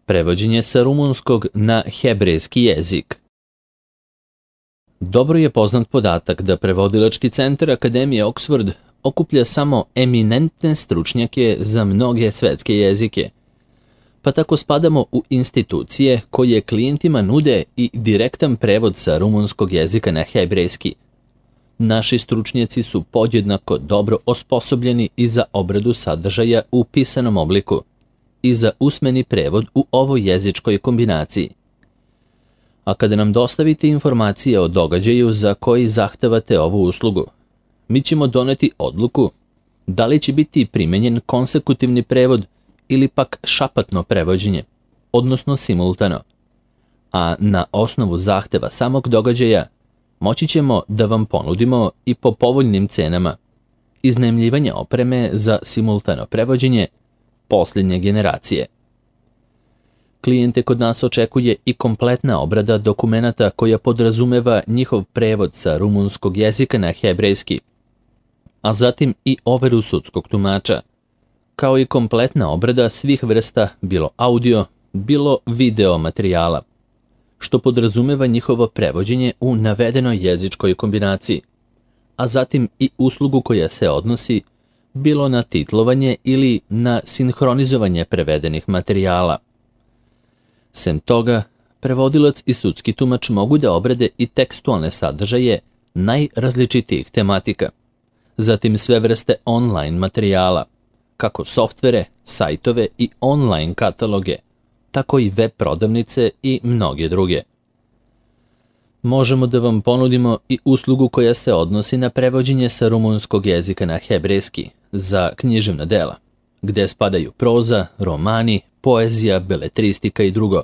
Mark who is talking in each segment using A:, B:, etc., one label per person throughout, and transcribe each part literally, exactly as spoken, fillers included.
A: Prevođenje sa rumunskog na hebrejski jezik. Dobro je poznat podatak da Prevodilački centar Akademije Oxford okuplja samo eminentne stručnjake za mnoge svetske jezike, pa tako spadamo u institucije koje klijentima nude i direktan prevod sa rumunskog jezika na hebrejski. Naši stručnjaci su podjednako dobro osposobljeni i za obradu sadržaja u pisanom obliku i za usmeni prevod u ovoj jezičkoj kombinaciji. A kada nam dostavite informacije o događaju za koji zahtevate ovu uslugu, mi ćemo doneti odluku da li će biti primenjen konsekutivni prevod ili pak šapatno prevođenje, odnosno simultano. A na osnovu zahteva samog događaja moći ćemo da vam ponudimo i po povoljnim cenama iznajmljivanje opreme za simultano prevođenje posljednje generacije. Klijente kod nas očekuje i kompletna obrada dokumenata koja podrazumeva njihov prevod sa rumunskog jezika na hebrejski, a zatim i overu sudskog tumača, kao i kompletna obrada svih vrsta bilo audio, bilo video materijala, što podrazumeva njihovo prevođenje u navedenoj jezičkoj kombinaciji, a zatim i uslugu koja se odnosi bilo na titlovanje ili na sinhronizovanje prevedenih materijala. Sem toga, prevodilac i sudski tumač mogu da obrade i tekstualne sadržaje najrazličitijih tematika, zatim sve vrste online materijala, kako softvere, sajtove i online kataloge, tako i web prodavnice i mnoge druge. Možemo da vam ponudimo i uslugu koja se odnosi na prevođenje sa rumunskog jezika na hebrejski za književna dela, gde spadaju proza, romani, poezija, beletristika i drugo,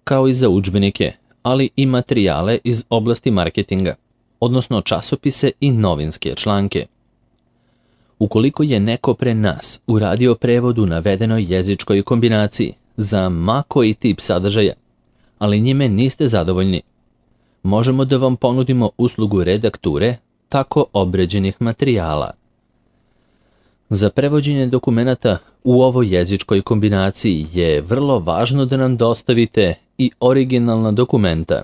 A: kao i za udžbenike, ali i materijale iz oblasti marketinga, odnosno časopise i novinske članke. Ukoliko je neko pre nas uradio prevod u navedenoj jezičkoj kombinaciji za ma koji tip sadržaja, ali njime niste zadovoljni, možemo da vam ponudimo uslugu redakture tako obređenih materijala. Za prevođenje dokumenata u ovoj jezičkoj kombinaciji je vrlo važno da nam dostavite i originalna dokumenta,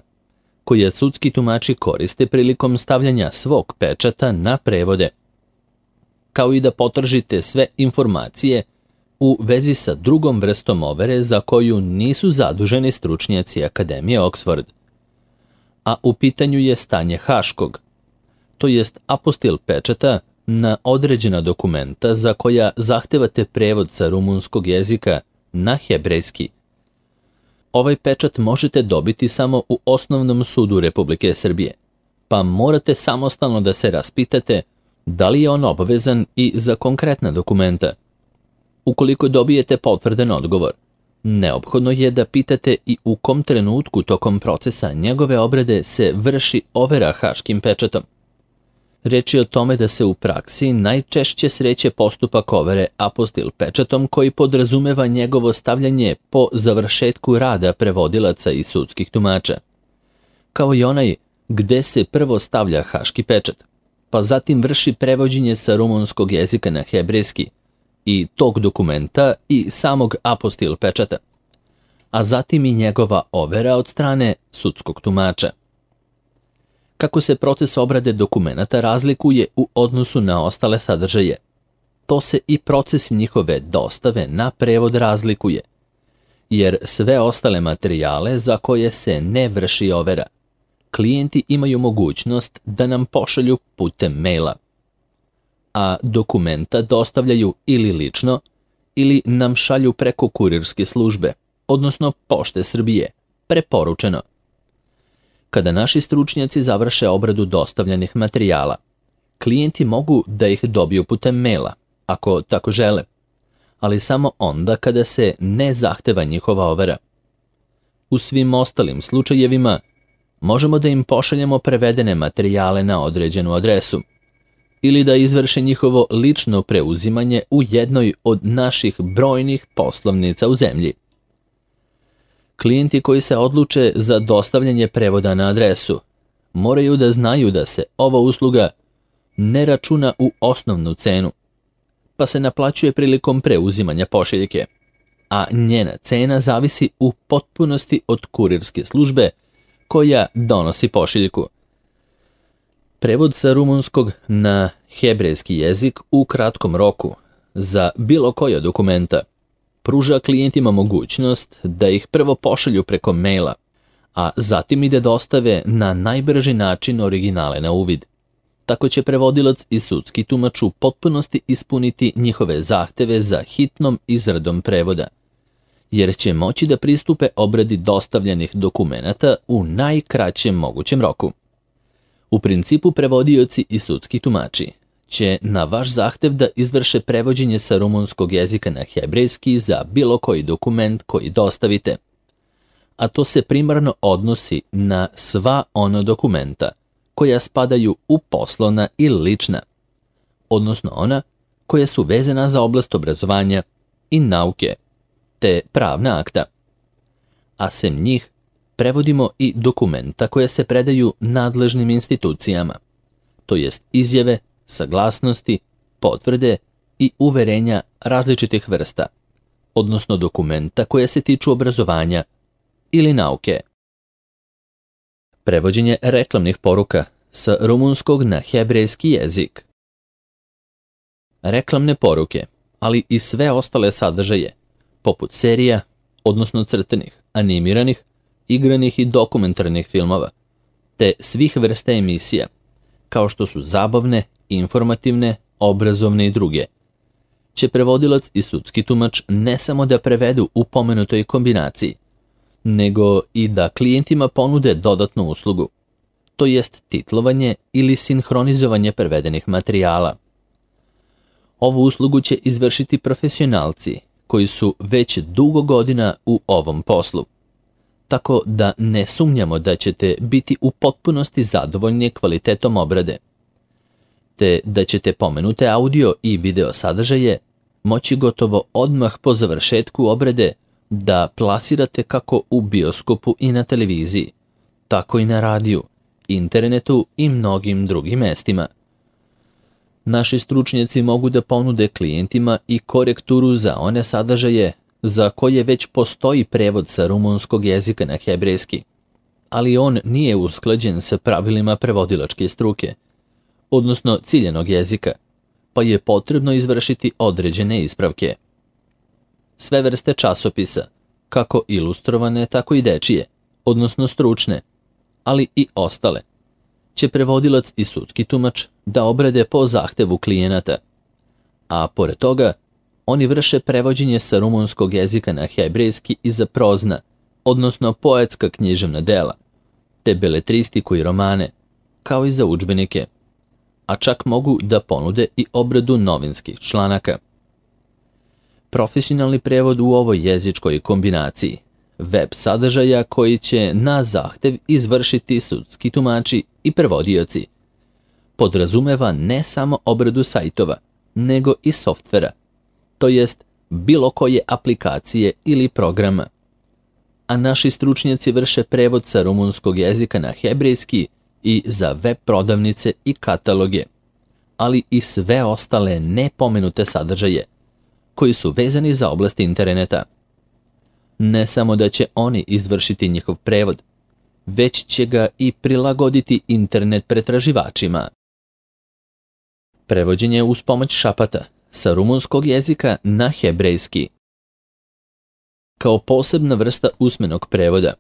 A: koja sudski tumači koriste prilikom stavljanja svog pečata na prevode, kao i da potržite sve informacije u vezi sa drugom vrstom overe za koju nisu zaduženi stručnjaci Akademije Oxford. A u pitanju je stanje haškog, to jest apostil pečata na određena dokumenta za koja zahtevate prevod sa rumunskog jezika na hebrejski. Ovaj pečat možete dobiti samo u Osnovnom sudu Republike Srbije, pa morate samostalno da se raspitate da li je on obavezan i za konkretna dokumenta. Ukoliko dobijete potvrdan odgovor, neophodno je da pitate i u kom trenutku tokom procesa njegove obrade se vrši overa haškim pečatom. Reč je o tome da se u praksi najčešće sreće postupak overe apostil pečatom koji podrazumeva njegovo stavljanje po završetku rada prevodilaca i sudskih tumača, kao i onaj gde se prvo stavlja haški pečat, pa zatim vrši prevođenje sa rumunskog jezika na hebrejski i tog dokumenta i samog apostil pečata, a zatim i njegova overa od strane sudskog tumača. Kako se proces obrade dokumenata razlikuje u odnosu na ostale sadržaje, to se i proces njihove dostave na prevod razlikuje, jer sve ostale materijale za koje se ne vrši overa, klijenti imaju mogućnost da nam pošalju putem maila, a dokumenta dostavljaju ili lično ili nam šalju preko kurirske službe, odnosno Pošte Srbije, preporučeno. Kada naši stručnjaci završe obradu dostavljenih materijala, klijenti mogu da ih dobiju putem maila, ako tako žele, ali samo onda kada se ne zahteva njihova overa. U svim ostalim slučajevima možemo da im pošaljemo prevedene materijale na određenu adresu ili da izvrše njihovo lično preuzimanje u jednoj od naših brojnih poslovnica u zemlji. Klijenti koji se odluče za dostavljanje prevoda na adresu moraju da znaju da se ova usluga ne računa u osnovnu cenu, pa se naplaćuje prilikom preuzimanja pošiljke. a njena cena zavisi u potpunosti od kurirske službe koja donosi pošiljku. Prevod sa rumunskog na hebrejski jezik u kratkom roku za bilo koja dokumenta pruža klijentima mogućnost da ih prvo pošalju preko maila, a zatim i da dostave na najbrži način originale na uvid. Tako će prevodilac i sudski tumač u potpunosti ispuniti njihove zahteve za hitnom izradom prevoda, jer će moći da pristupe obradi dostavljenih dokumenata u najkraćem mogućem roku. U principu prevodioci i sudski tumači će na vaš zahtev da izvrše prevođenje sa rumunskog jezika na hebrejski za bilo koji dokument koji dostavite, a to se primarno odnosi na sva ona dokumenta koja spadaju u poslovna i lična, odnosno ona koja su vezana za oblast obrazovanja i nauke, te pravna akta. A sem njih prevodimo i dokumenta koja se predaju nadležnim institucijama, to jest izjave, saglasnosti, potvrde i uverenja različitih vrsta, odnosno dokumenta koja se tiču obrazovanja ili nauke. Prevođenje reklamnih poruka sa rumunskog na hebrejski jezik. Reklamne poruke, ali i sve ostale sadržaje, poput serija, odnosno crtenih, animiranih, igranih i dokumentarnih filmova, te svih vrsta emisija, kao što su zabavne, informativne, obrazovne i druge, će prevodilac i sudski tumač ne samo da prevedu u pomenutoj kombinaciji, nego i da klijentima ponude dodatnu uslugu, to jest titlovanje ili sinhronizovanje prevedenih materijala. Ovu uslugu će izvršiti profesionalci koji su već dugo godina u ovom poslu, tako da ne sumnjamo da ćete biti u potpunosti zadovoljni kvalitetom obrade, te da ćete pomenute audio i video sadržaje moći gotovo odmah po završetku obrade da plasirate kako u bioskopu i na televiziji, tako i na radiju, internetu i mnogim drugim mestima. Naši stručnjaci mogu da ponude klijentima i korekturu za one sadržaje za koje već postoji prevod sa rumunskog jezika na hebrejski, ali on nije usklađen sa pravilima prevodilačke struke, odnosno ciljanog jezika, pa je potrebno izvršiti određene ispravke. Sve vrste časopisa, kako ilustrovane, tako i dečije, odnosno stručne, ali i ostale, će prevodilac i sudski tumač da obrade po zahtevu klijenata, a pored toga oni vrše prevođenje sa rumunskog jezika na hebrejski i za prozna, odnosno poetska književna dela, te beletristiku i romane, kao i za udžbenike, a čak mogu da ponude i obradu novinskih članaka. Profesionalni prevod u ovoj jezičkoj kombinaciji, web sadržaja koji će na zahtev izvršiti sudski tumači i prevodioci, podrazumeva ne samo obradu sajtova, nego i softvera, to jest bilo koje aplikacije ili programa. A naši stručnjaci vrše prevod sa rumunskog jezika na hebrejski i za web prodavnice i kataloge, ali i sve ostale nepomenute sadržaje koji su vezani za oblast interneta. Ne samo da će oni izvršiti njihov prevod, već će ga i prilagoditi internet pretraživačima. Prevođenje uz pomoć šapata sa rumunskog jezika na hebrejski. Kao posebna vrsta usmenog prevoda,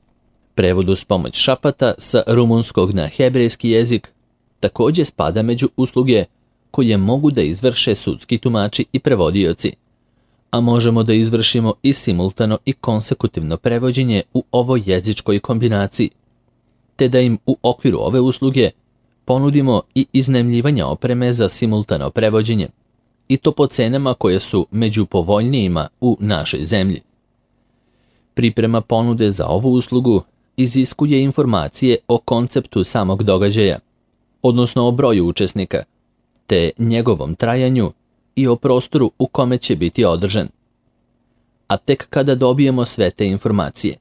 A: prevod uz pomoć šapata sa rumunskog na hebrejski jezik također spada među usluge koje mogu da izvrše sudski tumači i prevodioci, a možemo da izvršimo i simultano i konsekutivno prevođenje u ovoj jezičkoj kombinaciji, te da im u okviru ove usluge ponudimo i iznajmljivanje opreme za simultano prevođenje, i to po cenama koje su među povoljnijima u našoj zemlji. Priprema ponude za ovu uslugu iziskuje informacije o konceptu samog događaja, odnosno o broju učesnika, te njegovom trajanju i o prostoru u kome će biti održan. A tek kada dobijemo sve te informacije,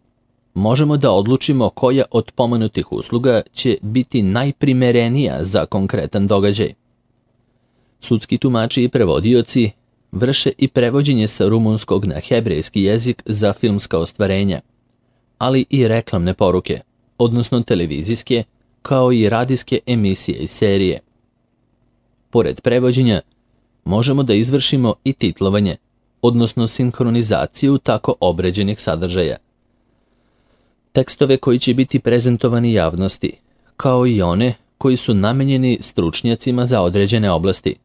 A: možemo da odlučimo koja od pomenutih usluga će biti najprimerenija za konkretan događaj. Sudski tumači i prevodioci vrše i prevođenje sa rumunskog na hebrejski jezik za filmska ostvarenja, ali i reklamne poruke, odnosno televizijske, kao i radijske emisije i serije. Pored prevođenja, možemo da izvršimo i titlovanje, odnosno sinhronizaciju tako obređenih sadržaja. Tekstove koji će biti prezentovani javnosti, kao i one koji su namenjeni stručnjacima za određene oblasti,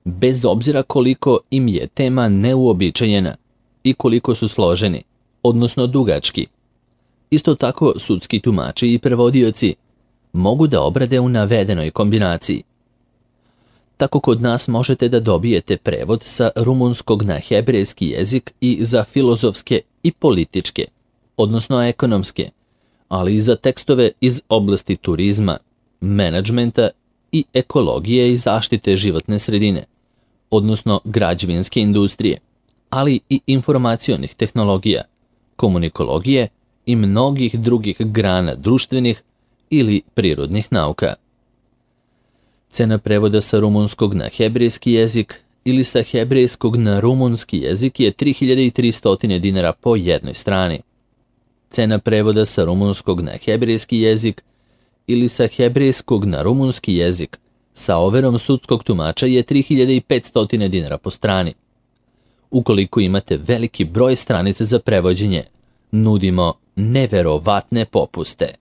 A: bez obzira koliko im je tema neuobičajena i koliko su složeni, odnosno dugački. Isto tako, sudski tumači i prevodioci mogu da obrade u navedenoj kombinaciji. Tako kod nas možete da dobijete prevod sa rumunskog na hebrejski jezik i za filozofske i političke, odnosno ekonomske, ali i za tekstove iz oblasti turizma, menadžmenta i ekologije i zaštite životne sredine, odnosno građevinske industrije, ali i informacionih tehnologija, komunikologije i mnogih drugih grana društvenih ili prirodnih nauka. Cena prevoda sa rumunskog na hebrejski jezik ili sa hebrejskog na rumunski jezik je tri hiljade tristo dinara po jednoj strani. Cena prevoda sa rumunskog na hebrejski jezik ili sa hebrejskog na rumunski jezik sa overom sudskog tumača je tri hiljade petsto dinara po strani. Ukoliko imate veliki broj stranica za prevođenje, nudimo neverovatne popuste.